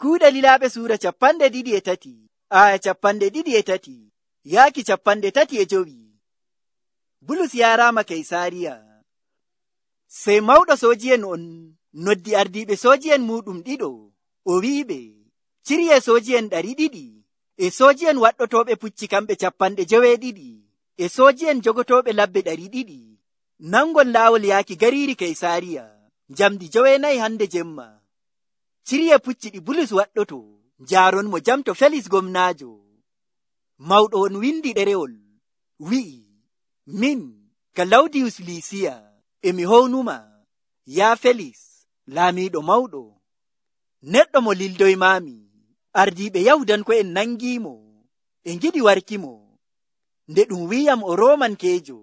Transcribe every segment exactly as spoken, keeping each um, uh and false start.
Kuuɗe Lilaaɓe suura capanɗe ɗiɗi e tati, aya capanɗe ɗiɗi e tati, yaaki capanɗe tati e jowi. Bulus yaaraama Kaysaariya. Sey mawɗo sooji'en on noddi ardiiɓe sooji'en muuɗum ɗiɗo, o wi'iɓe, ciryee sooji'en ɗari ɗiɗi, e sooji'en waɗɗotooɓe pucci kamɓe capanɗe joweeɗiɗi, e sooji'en jogotooɓe labbe ɗari ɗiɗi, nangon laawol yaaki gariiri Kaysaariya, njamdi joweenayi hande jemma. Ciryee pucci ɗi Bulus waɗɗoto, njaaron mo jam to Felis gomnaajo. Mawɗo on windi ɗerewol, wi'i, min, Kalawdiyus Liisiya, e mi hownuma, yaa Felis, laamiiɗo mawɗo. Neɗɗo mo lildoymaami, ardiiɓe Yahudanko'en nangiimo, e ngiɗi warkimo. Nde ɗum wi'am o Roomankeejo,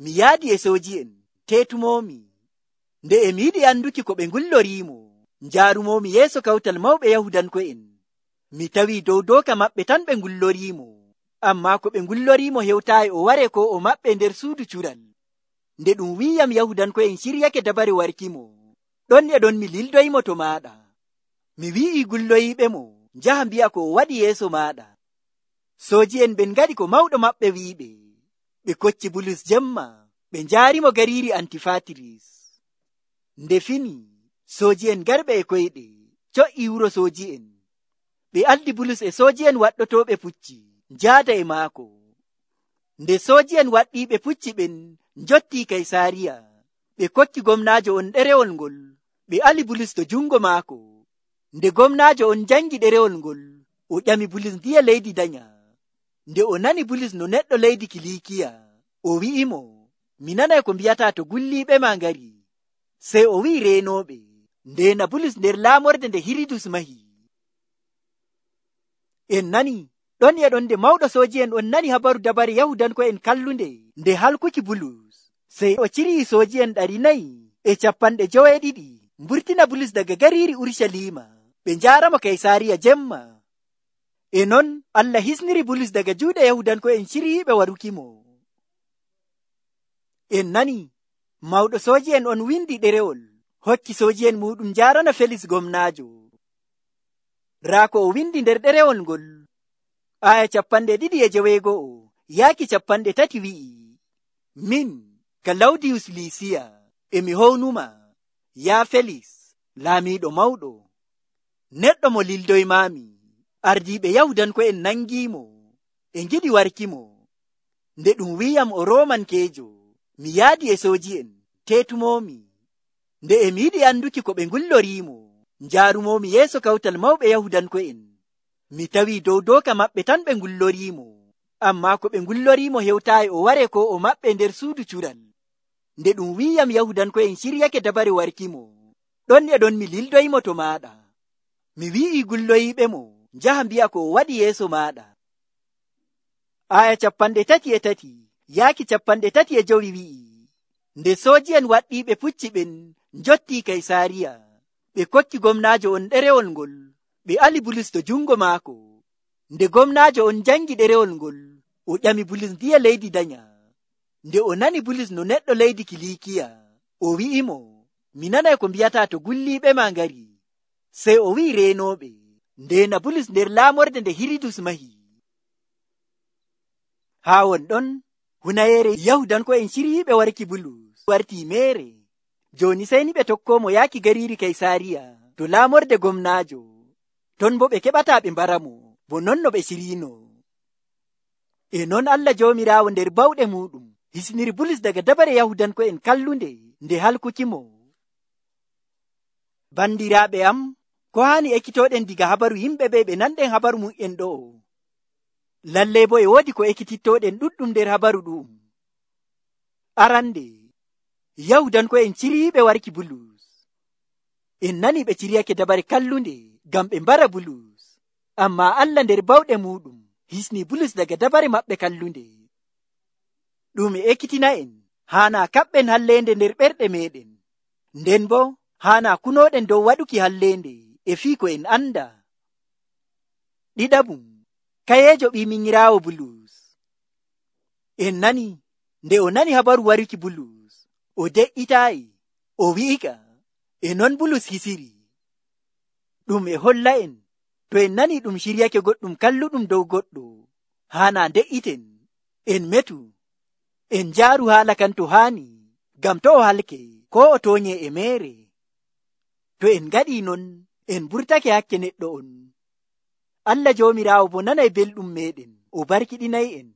mi yaadi e sooji'en, teetumoomi. Nde e mi yiɗi anduki ko ɓe ngulloriimo, njaarumoomi yeeso kawtal mawɓe Yahudanko'en. Mi tawii dow dooka maɓɓe tan ɓe ngulloriimo, ammaa ko ɓe ngulloriimo hewtaayi o ware ko o maɓɓe nder suudu cural. Nde ɗum wi'am Yahudanko'en ciryake dabare warkimo, ɗon e ɗon mi lildoyimo to maaɗa. Mi wi'ii gulloyiiɓe mo, njaha mbi'a ko o waɗi yeeso maaɗa. Sooji'en ɓen ngaɗi ko mawɗo maɓɓe wi'iɓe. Ɓe kocci Bulus jemma, ɓe njaarimo gariiri Antifaatiris. Nde fini, sooji'en garɓe e koyɗe, co'ii wuro sooji'en. Ɓe aldi Bulus e sooji'en waɗɗotooɓe pucci, njaada e maako. Nde sooji'en waɗɗiiɓe pucci ɓen njottii Kaysaariya, ɓe kokki gomnaajo on ɗerewol ngol, ɓe ali Bulus to jungo maako. Nde gomnaajo on jangi ɗerewol ngol, o ƴami Bulus ndiye leydi danya. Nde o nani Bulus no neɗɗo leydi Kiliikiya, o wi'imo, mi nanay ko mbi'ataa to gulliiɓe ma ngari. Sey o wi'i reenooɓe, ndeena Bulus nder laamorde nde Hiridus mahi. En nani, ɗon e ɗon nde mawɗo sooji'en on nani habaru dabare Yahudanko'en kallunde nde halkuki Bulus. Sey o cirii sooji'en ɗari nayi e capanɗe joweeɗiɗi mburtina Bulus daga gariiri Urucaliima, ɓe njaaramo Kaysaariya jemma. E non Allah hisniri Bulus daga juuɗe Yahudanko'en ciriiɓe warukimo. En nani, mawɗo sooji'en on windi ɗerewol, hokki sooji'en muɗum njaarana Felis gomnaajo. Raa ko o windi nder ɗerewol ngol, aya capanɗe ɗiɗi e joweego'o, yaaki capanɗe tati wi'i, min, Kalawdiyus Liisiya, e mi hownuma, yaa Felis, laamiiɗo mawɗo. Neɗɗo mo lildoymaami, ardiiɓe Yahudanko'en nangiimo, e ngiɗi warkimo. Nde ɗum wi'am o Roomankeejo, mi yaadi e sooji'en, teetumoomi. Nde e mi yiɗi anduki ko ɓe ngulloriimo, njaarumoomi yeeso kawtal mawɓe Yahudanko'en. Mi tawii dow dooka maɓɓe tan ɓe ngulloriimo, ammaa ko ɓe ngulloriimo hewtaayi o ware ko o maɓɓe nder suudu cural. Nde ɗum wi'am Yahudanko'en ciryake dabare warkimo, ɗon e ɗon mi lildoyimo to maaɗa. Mi wi'ii gulloyiiɓe mo, njaha mbi'a ko o waɗi yeeso maaɗa. Aya capanɗe tati e tati, yaaki capanɗe tati e jowi wi'i, nde sooji'en waɗɗiiɓe pucci ɓen njottii Kaysaariya, ɓe kokki gomnaajo on ɗerewol ngol, ɓe ali Bulus to jungo maako. Nde gomnaajo on jangi ɗerewol ngol, o ƴami Bulus ndiye leydi danya. Nde o nani Bulus no neɗɗo leydi Kiliikiya, o wi'imo, mi nanay ko mbi'ataa to gulliiɓe ma ngari. Sey o wi'i reenooɓe, ndeena Bulus nder laamorde nde Hiridus mahi. Haa won ɗon, hunayeere Yahudanko'en ciriiɓe warki Bulus wartii meere. Jooni sey ni ɓe tokkoomo yaaki gariiri Kaysaariya to laamorde gomnaajo. Ton bo ɓe keɓataa ɓe mbaramo, bo non no ɓe ciriino. E non Allah Joomiraawo nder bawɗe muuɗum hisniri Bulus daga dabare Yahudanko'en kallunde nde halkukimo. Bandiraaɓe am, ko haani ekkitooɗen diga habaru yimɓe ɓe ɓe nanɗen habaru mum'en ɗo. Lallay bo e woodi ko ekkitittooɗen ɗuɗɗum nder habaru ɗum. Arande, Yahudanko'en ciriiɓe warki Bulus. En nani ɓe ciriyake dabare kallunde ngam ɓe mbara Bulus, ammaa Allah nder bawɗe muuɗum hisni Bulus daga dabare maɓɓe kallunde. Ɗum e ekkitina en, haana kaɓɓen halleende nder ɓerɗe meɗen, nden bo haana kunooɗen dow waɗuki halleende e fii ko en anda. Ɗiɗaɓum, kayeejo ɓiiminyiraawo Bulus. En nani, nde o nani habaru waruki Bulus, o de'itaayi, o wi'ika, e non Bulus hisiri. Ɗum e holla en to en nani ɗum shiryake goɗɗum kalluɗum dow goɗɗo, haana de'iten, en metu, en jaaru haala kan to haani, ngam to o halke ko o toonye e meere. To en ngaɗi non, en burtake hakke neɗɗo on. Allah Joomiraawo bo nanay belɗum meɗen, o barkiɗinay en.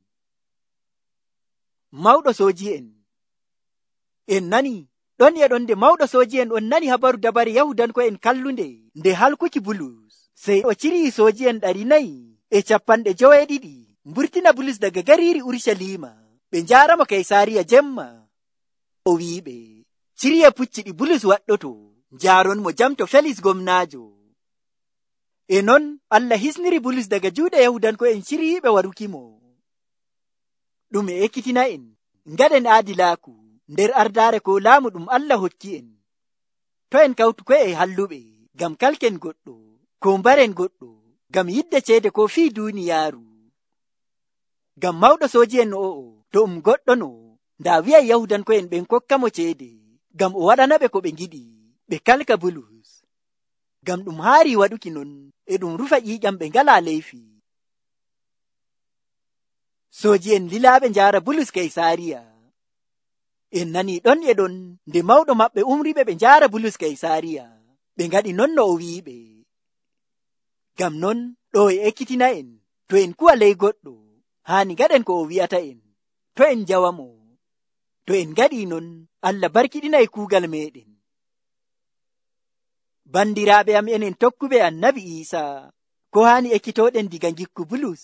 Mawɗo sooji'en, en nani ɗon e ɗon nde mawɗo sooji'en on nani habaru dabare Yahudanko'en kallunde nde halkuki Bulus, sey o cirii sooji'en ɗari nayi e capanɗe joweeɗiɗi mburtina Bulus daga gariiri Urusalima ɓe njaaramo Kaysaariya jemma. O wi'iɓe, ciriye pucciɗi Bulus waɗɗoto, njaaron mo jam to Felis gomnaajo. E non Allah hisniri Bulus daga juuɗe Yahudanko'en ciriiɓe warukimo. Ɗum e ekkitina en, ngaɗen aadilaaku nder ardaare ko laamu ɗum Allah hokki en. To en kawtu ko'e halluɓe ngam kalken goɗɗo, ko mbaren goɗɗo, ngam yidde ceede ko fii duuniyaaru. Ngam mawɗo sooji'en o'o, to um goɗɗo no, ndaa wi'ay Yahudanko'en ɓen kokka mo ceede, ngam o waɗanaɓe ko ɓe ngiɗi, ɓe kalka Bulus. Ngam ɗum haari waɗuki non, e ɗum rufa ƴiiƴam ɓe ngalaa leyfi. Sooji'en lilaaɓe njaara Bulus Kaysaariya. En nani ɗon e ɗon nde mawɗo maɓɓe umriɓe ɓe njaara Bulus Kaysaariya, ɓe ngaɗi non no o wi'iɓe. Ngam non ɗo e ekkitina en, to en kuwa ley goɗɗo, haani ngaɗen ko o wi'ata en, to en njawamo. To en ngaɗi non, Allah barkiɗinay kuugal meɗen. Bandiraaɓe am enen tokkuɓe Annabi Iisaa, ko haani ekkitoɗen diga ngikku Bulus.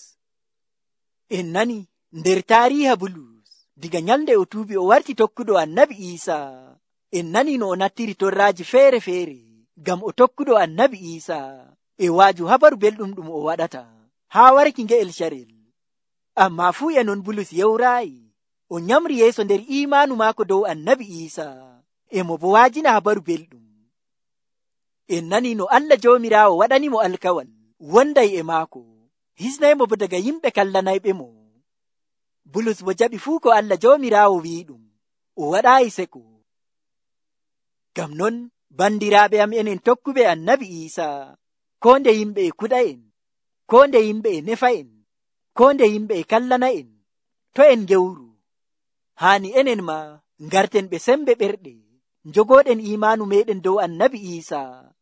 En nani nder taariiha Bulus, diga nyalnde o tuubi o warti tokkuɗo Annabi Iisaa. En nani no o nattiri torraaji feere-feere ngam o tokkuɗo Annabi Iisaa e waaju habaru belɗum ɗum o waɗata haa warki nge'el carel. Ammaa fuu e non Bulus yewraayi, o nyamri yeeso nder iimaanu maako dow Annabi Iisaa, e mo bo waajina habaru belɗum. En nani no Allah Joomiraawo waɗanimo alkawal wonday e maako, hisnaymo bo daga yimɓe kallanayɓe mo. Bulus bo jaɓi fuu ko Allah Joomiraawo wi'i ɗum, o waɗaayi seko. Ngam non bandiraaɓe am enen tokkuɓe Annabi Iisaa, ko nde yimɓe e kuɗa'en, ko nde yimɓe e nefa'en, ko nde yimɓe e kallana'en, to en gewru, haani enen ma ngarten ɓe sembe ɓerɗe, njogooɗen iimaanu meɗen dow Annabi Iisaa,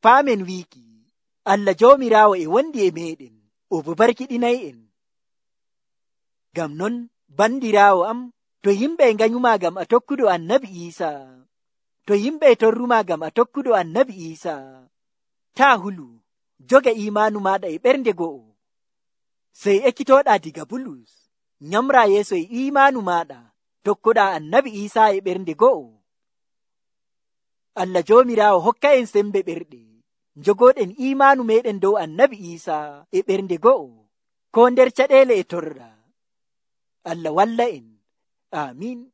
paamen wiiki Allah Joomiraawo e wondi e meɗen, o bo barkiɗinay en. Ngam non bandiraawo am, to yimɓe e nganyuma ngam a tokkuɗo Annabi Iisaa, to yimɓe e torruma ngam a tokkuɗo Annabi Iisaa, taa hulu, joga iimaanu maɗa e ɓernde go'o, sey ekkitoɗa diga Bulus, nyamra yeeso e iimaanu maɗa, tokkoɗa Annabi Iisaa e ɓernde go'o. Allah Joomiraawo hokka en sembe ɓerɗe, njogoɗen iimaanu meɗen dow Annabi Iisaa e ɓernde go'o, ko nder caɗeele e torra. Allah walla en. Amin.